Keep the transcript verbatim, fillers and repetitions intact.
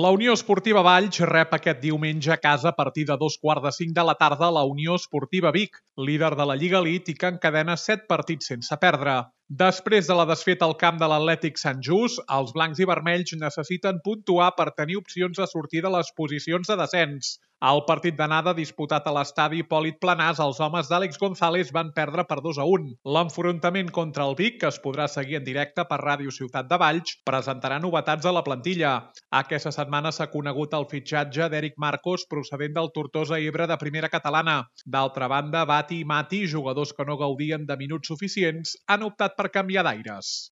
La Unió Esportiva Valls rep aquest diumenge a casa a partir de dos quarts de cinc de la tarda la Unió Esportiva Vic, líder de la Lliga Elite i que encadena set partits sense perdre. Després de la desfeta al camp de l'Atlètic Sant Just, els blancs i vermells necessiten puntuar per tenir opcions de sortir de les posicions de descens. Al partit d'anada disputat a l'estadi Hipòlit Planàs, els homes d'Àlex González van perdre per dos a un. L'enfrontament contra el Vic, que es podrà seguir en directe per Ràdio Ciutat de Valls, presentarà novetats a la plantilla. Aquesta setmana s'ha conegut el fitxatge d'Eric Marcos, procedent del Tortosa Ebre de primera catalana. D'altra banda, Bati i Mati, jugadors que no gaudien de minuts suficients, han optat per canviar d'aires.